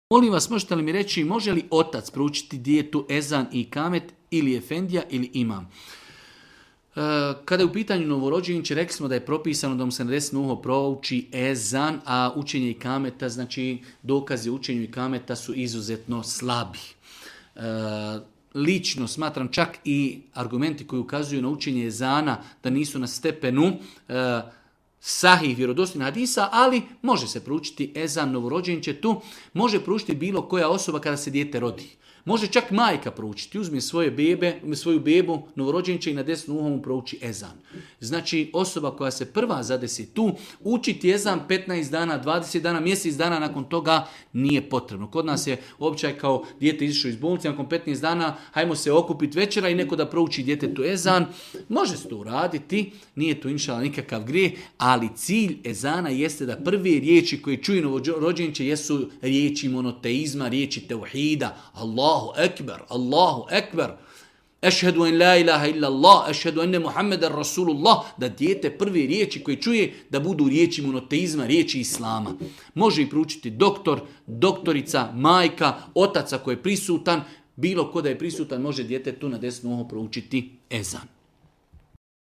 Molim vas, možete li mi reći, može li otac proučiti dijetu ezan i kamet ili efendija ili imam? Kada je u pitanju novorođenče, rekli smo da je propisano da mu se na desno uho prouči ezan, a učenje i kameta, znači dokazi učenju i kameta su izuzetno slabi. Lično smatram čak i argumenti koji ukazuju na učenje ezana da nisu na stepenu sahih vjerodostojnih hadisa, ali može se proučiti ezan novorođenčetu, može proučiti bilo koja osoba kada se dijete rodi. Može čak majka proučiti, uzme svoju bebu, novorođenče i na desnu uho mu prouči ezan. Znači osoba koja se prva zadesi tu, učiti ezan 15 dana, 20 dana, mjesec dana nakon toga nije potrebno. Kod nas je običaj kao dijete izišlo iz bolnice, nakon 15 dana hajmo se okupiti večera i neko da prouči djetetu ezan. Može se to uraditi, nije to inšala nikakav grijeh, ali cilj ezana jeste da prve riječi koje čuje novorođenče jesu riječi monoteizma, riječi tevhida, Allahu ekber, Allahu ekber, ešhedu en la ilaha illa Allah, ešhedu enne Muhammeden Rasulullah, da dijete prve riječi koje čuje da budu riječi monoteizma, riječi islama. Može i proučiti doktor, doktorica, majka, otac koji je prisutan, bilo ko da je prisutan može dijete tu na desno uho proučiti ezan.